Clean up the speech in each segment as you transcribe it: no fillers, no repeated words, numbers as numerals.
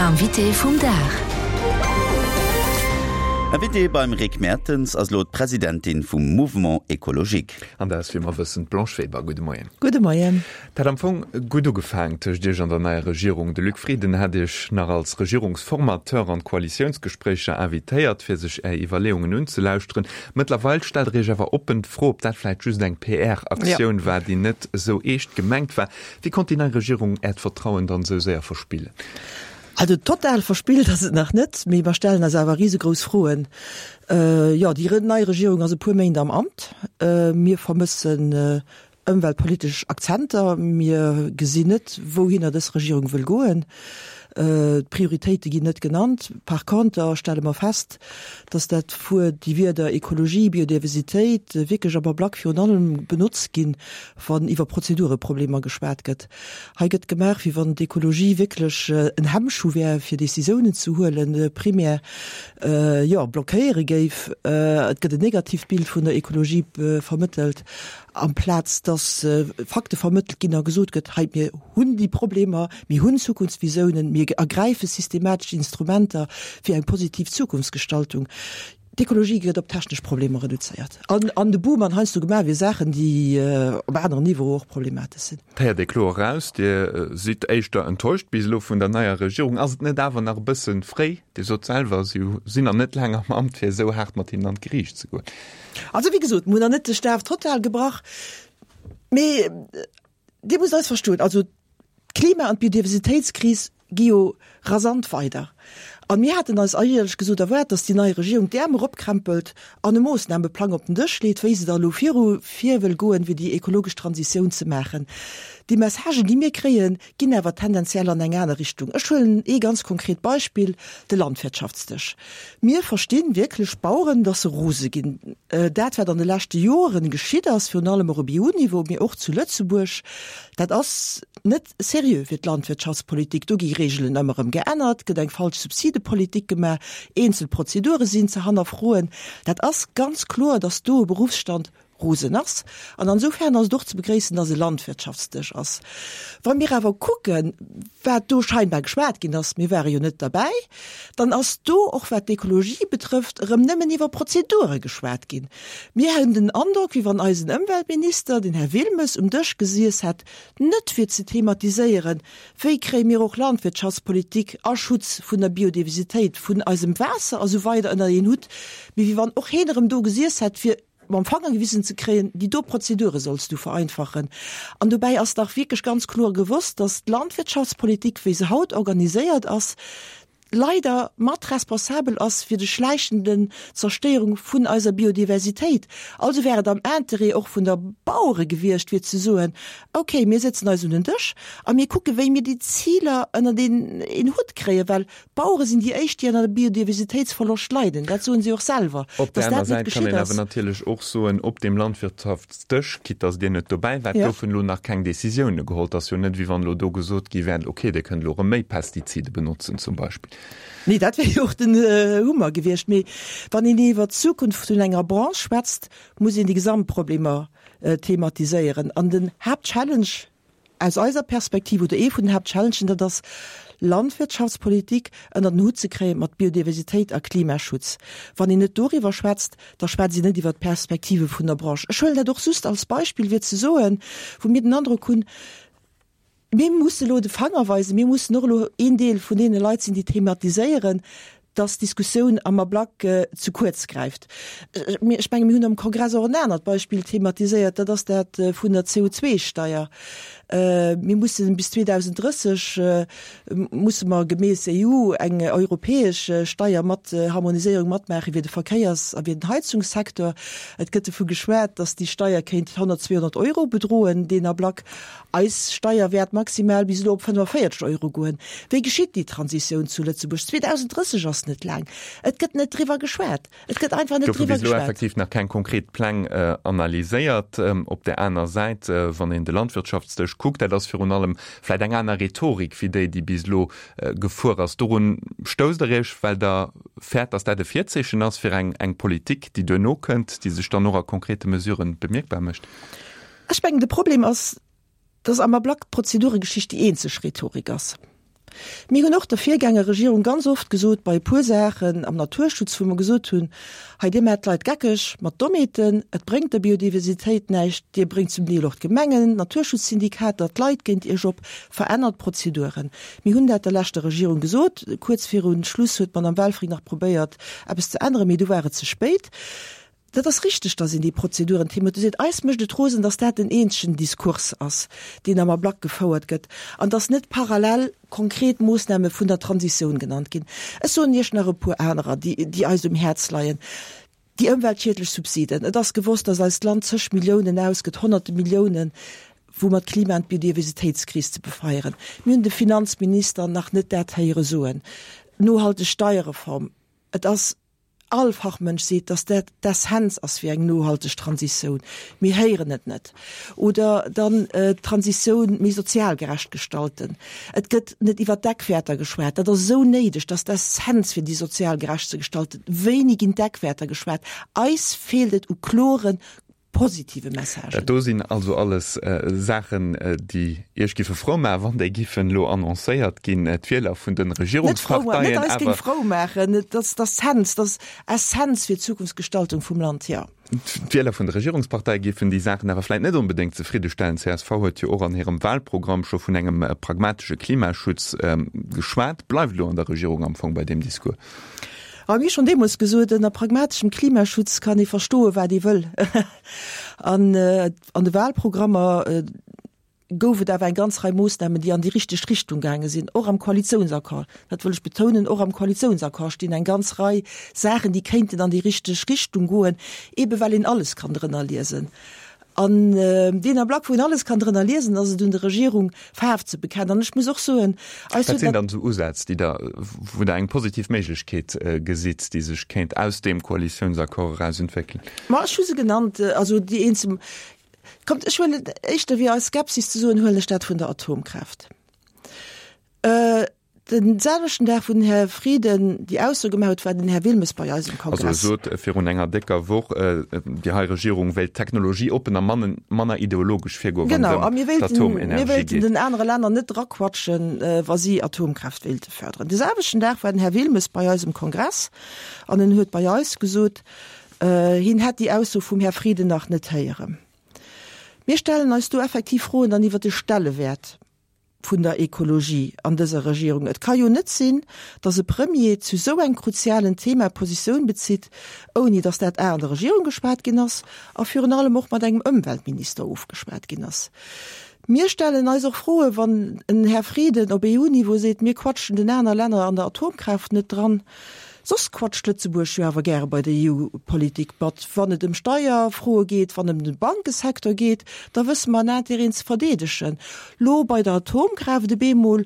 Invité vum Dag. Invitée beim Rick Mertens ass elo d'Presidentin vum Mouvement Ecologique. An dat ass, wéi mer wëssen, d'Blanche Weber. Gudde Moien. Gudde Moien. Et hat am Fong gutt ugefaang tëscht Iech an der neier Regierung. De Luc Frieden hat Iech nach als Regierungsformateur an d'Koalitiounsgespréicher invitéiert, fir sech Är Iwwerleeungen unzelauschteren. Mëttlerweil stellt Der Iech awer oppen d'Fro, ob dat vläicht just eng PR-Aktioun war, déi net esou eescht gemengt war. Wéi konnt déi nei Regierung Äert Vertrauen dann esou séier verspillen? Also total verspillt ass et nach net, mee mer stellen eis awer risegrouss Froen. Jo, déi nei Regierung ass e puer Méint am Amt. Mir vermëssen ëmweltpolitesch Akzenter. Mir gesinn net, wouhinner dës Regierung wëll goen. D'Prioritéite ginn net genannt. Par conter stelle mer fest, dass dat Wuert, déi Wierder Ekologie, Biodiversitéit wierklech am Ablack virun allem benotzt ginn, wann iwwer Prozedureproblemer geschwat gëtt. Hei gëtt gemaach, wéi wann d'Ekologie wierklech en Hemmschuh wär, fir Décisiounen ze huelen, primär, jo, blockéiere géif. Et gëtt en negatiivt Bild vun der Ekologie vermëttelt, amplaz dass Fakte vermëttelt ginn a gesot gëtt, hei, mir hunn déi Problemer, mir hunn Zukunftsvisounen, mir ergräife systematesch Instrumenter fir eng positiv Zukunftsgestaltung. D'Ekologie gëtt op technesch Problemer reduzéiert an an de Boom an heiansdo gemaach wier Saachen, déi op aneren Niveaue och problematesch sinn. Et héiert ee kloer eraus, Dir sidd éischter enttäuscht bis elo vun der neier Regierung. Ass et net awer nach e bësse fréi? Dir sot selwer, si sinn nach net laang am Amt, fir esou haart mat hinnen an d'Geriicht ze goen. Also wéi gesot, mir hunn nach net de Staf total gebrach, mee Dir musst eis verstoen, also d'Klima an d'Biodiversitéitskris gi jo rasant weider. An mir haten eis éierlech gesot erwaart, datt déi nei Regierung d'Äerm eropkrempelt an e Moossnameplang op den Dësch leet, wéi se da elo viru vir wëll goen, fir déi ekologesch Transitioun ze maachen. Déi Messagen, déi mir kréien, ginn awer tendenziell an eng aner Richtung. Ech huelen ee ganz konkret Beispill, de Landwirtschaftsdësch. Mir verstinn wierklech d'Baueren, datt se rose ginn. Dat, wat an de leschte Joren geschitt ass, virun allem och op EU-Niveau, mee och zu Lëtzebuerg, dat ass net seriö fir d'Landwirtschaftspolitik. Do gi Regeln ëmmer erëm geännert, gëtt eng falsch Subsidepolitik gemaach, eenzel Prozedure sinn ze hannerfroen. Dat ass ganz kloer, datt do e Beruffsstand rosen ass. An ansoufern ass et och ze begréissen, dass e Landwirtschaftsdësch ass. Wa mir awer kucken, wat do scheinbar geschwat ginn ass, mir ware jo net derbäi, dann ass do, och wat d'Ekologie betrëfft, erëm nëmmen iwwer Prozedure geschwat ginn. Mir hunn den Androck, wéi wann eisen Ëmweltminister, den Här Wilmes, um Dësch gesiess hätt, net fir ze thematiséieren, wéi kréie mir och Landwirtschaftspolitik a Schutz vun der Biodiversitéit, vun eisem Waasser a sou weider ënner een Hutt, mee wéi wann och heen erëm do gesiess hätt, fir mam Fanger gewisen ze kréien, déi do Prozedure solls du vereinfachen. An dobäi ass dach wierklech ganz kloer gewosst, dass d'Landwirtschaftspolitik, wéi se haut organiséiert ass, leider mat responsabel ass fir de schläichenden Zerstéierung vun eiser Biodiversitéit. Also wär et am Interêt och vun der Bauere gewiescht, fir ze soen, okay, mir sëtzen eis un den Dësch a mir kucke wéi mir déi Ziler ënnert een Hutt kréien, well D'Bauere sinn déi éischt, déi ënner dem Biodiversitéitsverloscht leiden. Dat soen si och selwer, Op der dass aner dat net Säit kann geschitt een awer ass. natierlech och soen, op deem Landwirtschaftsdësch, quitte dass Dir net dobäi waart, Ja. goufen elo nach keng Décisioune geholl. Et ass jo net, wéi wann elo do gesot gi wär, okay, Dir kënnt elo erëm méi Pestizide benotzen zum Beispill. Nee, dat wär jo och den Hummer gewiescht. Mee wann een iwwer d'Zukunft vun enger Branche schwätzt, muss een déi Gesamtproblemer thematiséieren. An den Haaptchallenge, Aus eiser Perspektiv, oder ee vun den Haaptchallengen, dat ass Landwirtschaftspolitik ënner den Hutt ze kréie mat Biodiversitéit a Klimaschutz. Wann een net doriwwer schwätzt, da schwätzt een net iwwer d'Perspektive vun der Branche. Ech huelen dat och just als Beispill, fir ze soen, wou mir den Androck hunn, mir musse elo de Fanger weisen, mir mussen och elo een Deel vun deene Leit sinn, déi thematiséieren, dass d'Diskussioun am Ablack ze kuerz gräift. Ech menge mir hunn am Kongress och en anert Beispill thematiséiert, dat ass dat vun der CO2-Steier. Mir mussen bis 2030 musse mer gemäss EU eng europäesch Steier mat Harmoniséierung matmaache fir de Verkéiers a fir den Heizungssecteur. Et gëtt dovu geschwat, dass déi Steier kéint 100, 200 Euro bedroen deen Ablack. Eis Steier wäert maximal bis elo op 45 Euro goen. Wéi geschitt déi Transitioun zu Lëtzebuerg? 2030 ass net laang. Et gëtt net driwwer geschwat. Et gëtt einfach net Goufe driwwer bis elo geschwat. effektiv nach keng konkret Pläng analyséiert. Op där aner Säit, wann een de Landwirtschaftsdësch kuckt, dat ass virun allem vläit eng aner Rhetorik wéi déi, déi bis elo gefuer ass. Dorun stousst Der Iech, well Der fäert, datt dat e Virzeechen ass fir eng eng Politik, déi duerno kënnt, déi sech dann och a konkrete Mesuren bemierkbar mécht? Ech mengen, de Problem ass, dass am Ablack d'Prozeduregeschicht déi eenzeg Rhetorik ass. Mir hunn och der Virgängerregierung ganz oft gesot, bei e puer Saachen am Naturschutz, wou mer gesot hunn, Hei, Dir maacht d'Leit geckeg mat Dommheeten, et bréngt der Biodiversitéit näischt, Dir bréngt zum Deel och d'Gemengen, d'Naturschutzsyndikater, d'Leit géint Iech op, verännert d'Prozeduren. Mir hunn dat der leschter Regierung gesot. Kuerz viru Schluss huet d'Madame Welfring nach probéiert, eppes ze änneren, mee du war et ze spéit. Dat ass richteg, dass een déi Prozeduren thematiséiert. Eis mécht et rosen, dass dat den eenzegen Diskurs ass, deen am Ablack gefouert gëtt, an dass net parallel konkret Moossname vun der Transitioun genannt ginn. Ech soen Iech nach e puer anerer, déi, déi eis um Häerz leien. Déi ëmweltschiedlech Subsiden. Et ass gewosst, dass eist Land zeg Milliounen ausgëtt, Honnerte Milliounen, woumat d'Klima an d'Biodiversitéitskris ze befeieren. Mir hunn de Finanzminister nach net dat héiere soen. Nohalteg Steierreform. Et ass. All Fachmënsch seet, dass dat d'Essenz ass fir eng nohalteg Transitioun. Mir héieren et net. Oder dann d'Transitioun méi sozial gerecht gestalten. Et gëtt net iwwer d'Eckwäerter geschwat. Dat ass esou néideg, dass d'Essenz fir déi sozial gerecht ze gestalten. Wéini ginn d'Eckwäerter geschwat? Eis feelt et u kloren, positive Messagen. Dat do sinn also alles Saachen, déi Iech giffe frou maachen, wann déi giffen elo annoncéiert ginn. D'Wieler vun de Regierungsparteien awer. Net eis géing frou maachen, et ass d'Essenz, dat ass Essenz fir d'Zukunftsgestaltung vum Land, jo. D'Wieler vun de Regierungsparteie giffen déi Saachen awer vläit net onbedéngt zefriddestellen. Csv huet jo och an hirem Wahlprogramm scho vun engem pragmatesche Klimaschutz geschwat. Bleift elo an der Regierung am Fong bei deem Discours? A mir hu schonn deemools gesot, ënner pragmateschem Klimaschutz kann ee verstoen, wat ee wëll. An an de Wahlprogrammer gouf et awer eng ganz Rei Moossnamen, déi an déi richteg Richtung gaange sinn, och am Koalitiounsaccord. Dat wëll ech betounen, och am Koalitiounsaccord stinn eng ganz Rei Saachen, déi kéinten an déi richteg Richtung goen, eebe well een alles kann drënner liesen. An deen Ablack, wou een alles kann drënner liesen, ass et un der Regierung, Faarf ze bekennen. An ech muss och soen, eis huet. Wat sinn dann esou Usätz, déi Der, wou Der eng positiv Méiglechkeet gesitt, déi sech kéint aus deem Koalitiounsaccord eraus entwéckelen? Ma ech hu se genannt, also déi eenzel. Kommt, ech huelen éischter wéi eis Skepsis ze soen, huelen ech dat vun der Atomkraaft. Den selwechten Dag, wou den Här Frieden déi Ausso gemaach huet, war den Här Wilmes bei eis um Kongress. Also e sot virun enger décker Woch, déi hei Regierung wéilt technologieoppen a manner ideologesch virgoen, wann et ëm d'Atomenergie geet. Genau, a mir wéilten den anere Länner net draquatschen, wa si Atomkraaft wéilte förderen. De selwechten Dag war den Här Wilmes bei eis um Kongress an en huet bei eis gesot, hien hätt déi Ausso vum Här Frieden nach net héieren. Mir stellen eis do effektiv Froen dann iwwert de Stellewäert vun der Ekologie an dëser Regierung. Et ka jo net sinn, datt e Premier zu esou engem kruzialen Thema Positioun bezitt, ouni datt dat a an der Regierung geschwat ginn ass a virun allem och mat engem Ëmweltminister ofgeschwat ginn ass. Mir stellen eis och Froen, wann en Här Frieden op EU-Niveau seet, mir quatschen den aner Länner an der Atomkraaft net dran. Soss quatscht Lëtzebuerg jo awer gäre bei der EU-Politik mat. Wann et ëm Steierfroe geet, wann ëm de Bankesecteur geet, da wësse mer en Intérêten ze verdeedegen. Lo bei der Atomkraaft op eemol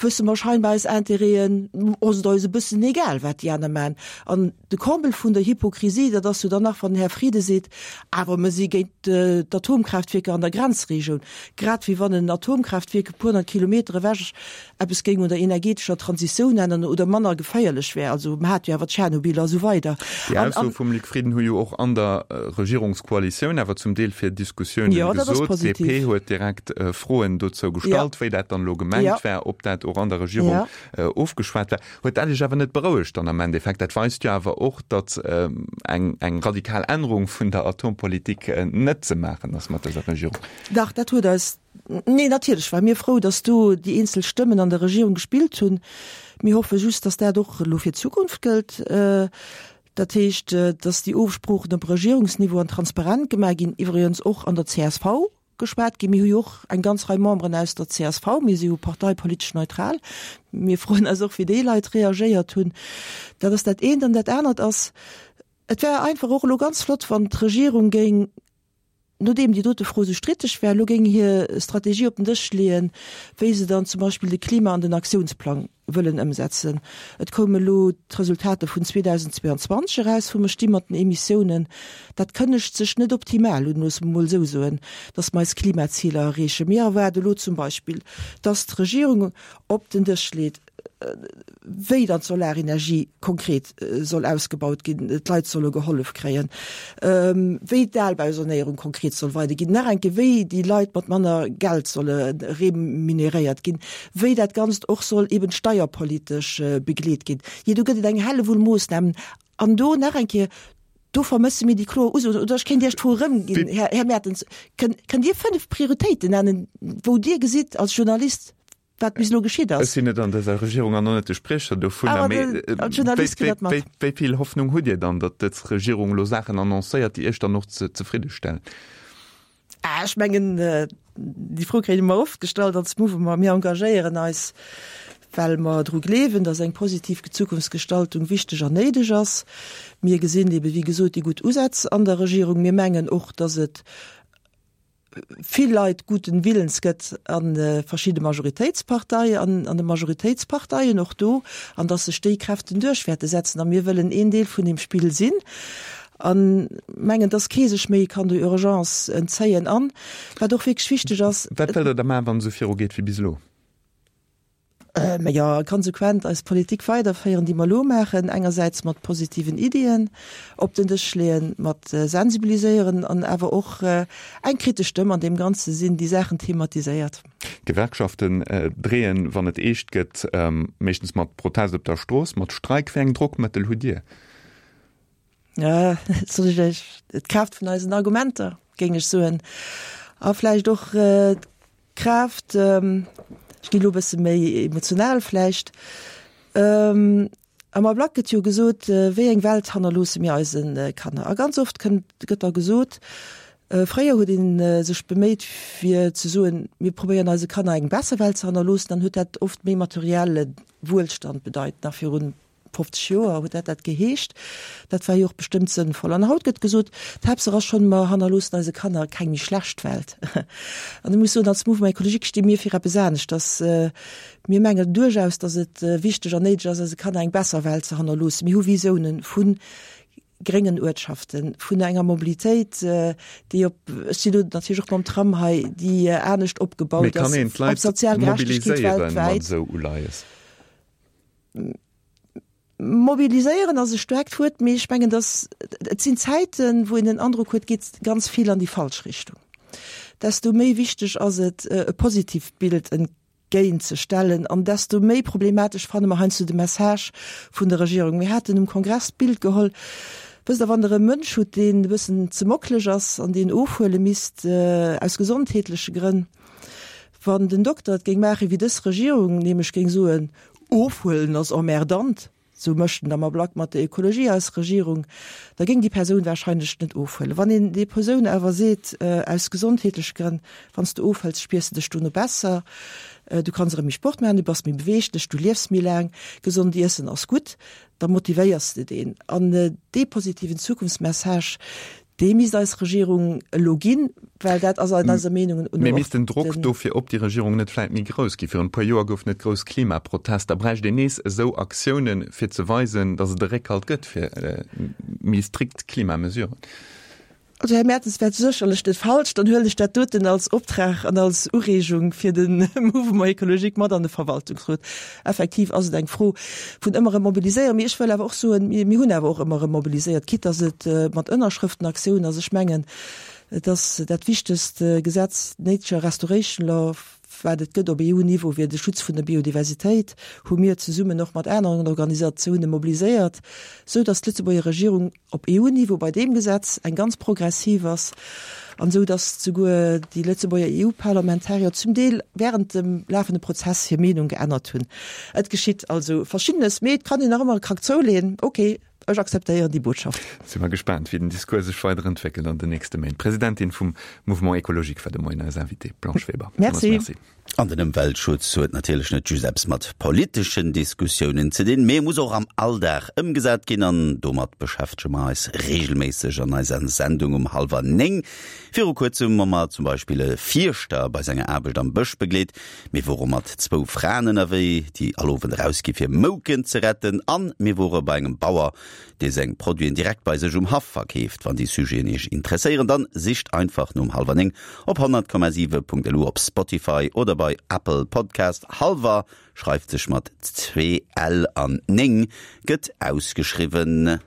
wësse mer scheinbar eis Intérêten, ass et eis e bëssen egal, wat déi aner maachen. An de Comble vun der Hypokrisie, dat ass jo dann nach, wann den Här Frieden seet, awer mer si géint d'Atomkraaftwierker an der Grenzregioun, grad wéi wann en Atomkraaftwierk e puer honnert Kilometer ewech eppes géing un der energetescher Transitioun änneren oder manner geféierlech wär. Also mer hate jo awer Tschernobyl a sou weider. Déi Aussoe vum Luc Frieden hu jo och an der Regierungskoalitioun awer zum Deel fir Diskussiounen gesot. D'DP huet direkt Froen dozou gestallt, wéi dat dann elo gemengt war, ob dat och an der Regierung ofgeschwat war. Huet dat Iech awer net berouegt dann am Endeffekt? Dat weist jo awer och, datt eng radikal Ännerung vun der Atompolitik net ze maachen ass mat dëser Regierung. Dach, dat huet eis Nee, natierlech ware mir frou, datt do déi eenzel Stëmmen an der Regierung gespillt hunn. Mir hoffe just, datt dat och elo fir d'Zukunft gëllt. Dat heescht, datt déi Ofsproochen op Regierungsniveau an transparent gemaach ginn, iwwregens och an der csv geschwat ginn. Mir hu jo och eng ganz Rei Memberen aus der csv. Mir si jo parteipolitesch neutral. Mir froen eis och, wéi déi Leit reagéiert hunn. Dat ass dat eent. An dat anert ass, et wär einfach och elo ganz flott, wann d'Regierung géing, nodeem déi dote Fro esou stritteg war, elo géing hir Strategie op den Dësch leeën, wéi se dann zum Beispill de Klima an den Aktiounsplang wëllen ëmsetzen. Et koume elo d'Resultater vun 2022 eraus, wou mer sti mat den Emissiounen. Dat kënnegt sech net optimal un, loosse mer emol esou soen, datt mer eis Klimaziler erreechen. Mir erwaarde elo zum Beispill, datt d'Regierung op den Dësch leet. wéi dann d'Solarenergie konkret soll ausgebaut ginn, d'Leit solle gehollef kréien, wéi d'Albausanéierung konkret soll weiderginn, nach eng Kéier, wéi déi Leit mat manner Geld solle remuneréiert ginn, wéi dat Ganzt och soll eben steierpolitesch begleet ginn. Jee, do gëtt et eng Hellewull Moossnamen. An do nach eng Kéier, do vermësse mir déi kloer Usoen. Oder ech kéint Iech d'Fro erëmginn, Här Mertens, Kënnt Dir 5 Prioritéiten nennen, wou Dir gesitt als Journalist, wat bis elo geschitt ass. Ech sinn net an dëser Regierung an och net de Spriecher dovunner, mee wéi vill Hoffnung hutt Dir dann, datt dës Regierung elo Saachen annoncéiert, déi Iech dann och zefridde stellen? Ech mengen, déi Fro kréie mer oft gestallt als Mouvement. Mir engagéieren eis, well mer dru gleewen, datt eng positiv Zukunftsgestaltung wichteg an néideg ass. Mir gesinn ebe wéi gesot déi gutt Usätz an der Regierung. Mir mengen och, datt et vill Leit guten Willens gëtt a verschidde Majoritéitspartei an an de Majoritéitsparteien och do, an datt sech déi Kräften duerch wäerte setzen. A mir wëllen een Deel vun deem Spill sinn a mengen, datt kee sech méi kann der Urgence entzéien. An, wat och wierklech wichteg ass. Wat wëllt Der da maachen, wann et esou virugeet wéi bis elo? Mä jo, konsequent eis Politik weiderféieren, déi mer elo maachen, engersäits mat positiven Iddien op den Dësch leeën, mat sensibiliséieren an awer och eng kritesch Stëmm an deem Ganze sinn, déi Saachen thematiséiert. D'Gewerkschaften dreeën, wann et eescht gëtt, meeschtens mat Protest op der Strooss, mat Streik. Wéi eng Drockmëttel hutt Dir? Soll ech Iech d'Kraaft vun eisen Argumenter, géing ech soen, a vläicht och Kraaft, ech ginn elo e bësse méi emotional vläicht, am Ablack gëtt jo gesot, wéi eng Welt hannerloosse mir eise Kanner? A ganz oft kënnt, gëtt da gesot, fréier huet ee sech beméit fir ze soen, mir probéieren eise Kanner eng besser Welt ze hannerloossen, dann huet dat oft méi materielle Wuelstand bedeit, nach virun 50 Joer huet dat dat geheescht. Dat war jo och bestëmmt sënnvoll. An haut gëtt gesot, d'Haaptsaach ass schonn, mer hannerloossen eise Kanner keng méi schlecht Welt. An ech muss soen, als Mouvement écologique sti mir fir eppes aneschters. Mir mengen duerchaus, datt et wichteg an néideg ass, eise Kanner eng besser Welt ze hannerloossen. Mir hu Visiounen vu gréngen Uertschaften, vun enger Mobilitéit, déi op, ech sinn elo natierlech och mam Tram hei, déi anescht opgebaut ass, op sozial Gerechtegkeet weltwäit. Mobiliséieren ass e staarkt Wuert, mee ech mengen, datt et sinn Zäiten, wou een den Androck huet, geet ganz vill an déi falsch Richtung. Desto méi wichteg ass et, e positiivt Bild entgéint ze stellen an desto méi problematesch fanne mer heiansdo de Message vun der Regierung. Mir haten um Kongress d'Bild geholl, wësst Der, wann Der e Mënsch hutt, deen e bëssen ze mockeleg ass an deen ofhuele misst aus gesondheetleche Grënn, wann den Dokter et géing maachen, wéi dës Regierung, nämlech géing soen, Ofhuelen ass emmerdant, sou mécht en am Ablack mat der Ökologie eis Regierung, da géing déi Persoun warscheinlech net ofhuelen. Wann een déi Persoun awer seet, aus gesondheetleche Grënn, wann s de ofhëls, spiers de dech dono besser, du kanns erëm méi Sport maachen, du bass méi beweeglech, du liefs méi laang, gesond iessen ass gutt, da motivéiers de deen. An dee positiven Zukunftsmessage, Dee misst eis Regierung elo ginn, well dat ass an eiser Meenung un Mee misst den Drock dofir op déi Regierung net vläit méi grouss ginn? Virun e puer Joer goufen et grouss Klimaprotester. Bräicht een nees esou Aktiounen, fir ze weisen, datt et e Réckhalt gëtt fir méi strikt Klimamesuren? Also, Här Mertens wär sécherlech net falsch. Dann huelen ech dat doten als Optrag an als Ureegung fir de Mouvement écologique mat an de Verwaltungsrot. Effektiv ass et eng Fro vun ëmmer erëm mobiliséieren. Mee ech wëll awer och soen, mir hunn awer och ëmmer erëm mobiliséiert, quitte dass et mat Ënnerschrëftenaktiounen ass. Ech mengen, et ass dat wichtegst Gesetz, d'Nature Restoration Law, wat et gëtt op EU-Niveau fir de Schutz vun der Biodiversitéit, hu mir zesummen och mat aneren Organisatiounen mobiliséiert, sou dass d'Lëtzebuerger Regierung op EU-Niveau bei deem Gesetz eng ganz progressiv ass an esou datt souguer déi Lëtzebuerger EU-Parlamentarier zum Deel während dem lafende Prozess hir Meenung geännert hunn. Et geschitt also Verschiddenes, mee et kann een nach ëmmer e Krack zouleeën. Ok, ech akzeptéieren déi Botschaft. Si mer gespaant, wéi den Discours sech weider entwéckelt an den nächste Méint. D'Presidentin vum Mouvement Écologique war de Moien eis Invitée, Blanche Weber. Merci. Merci. An den Ëmweltschutz huet natierlech net just eppes mat politeschen Diskussiounen ze dinn, mee e muss och am Alldag ëmgesat ginn. An domat beschäftege mer eis reegelméisseg an eiser Sendung um hallwer 9. Viru kuerzem hu mer zum Beispill e Fierschter bei senger Aarbecht am Bësch begleet. Mir wore mat zwou Fraen ënnerwee, déi all Owend erausgi fir Mouken ze retten. An mir wore bei engem Bauer. Dee seng Produiten direkt bei sech um Haff verkeeft. Wann déi Sujeten Iech interesséieren, dann sicht einfach nom Halwer 9 op 100,7.lu, op Spotify oder bei Apple Podcast. Halwer schreift sech mat zwee L an 9 gëtt ausgeschriwwen.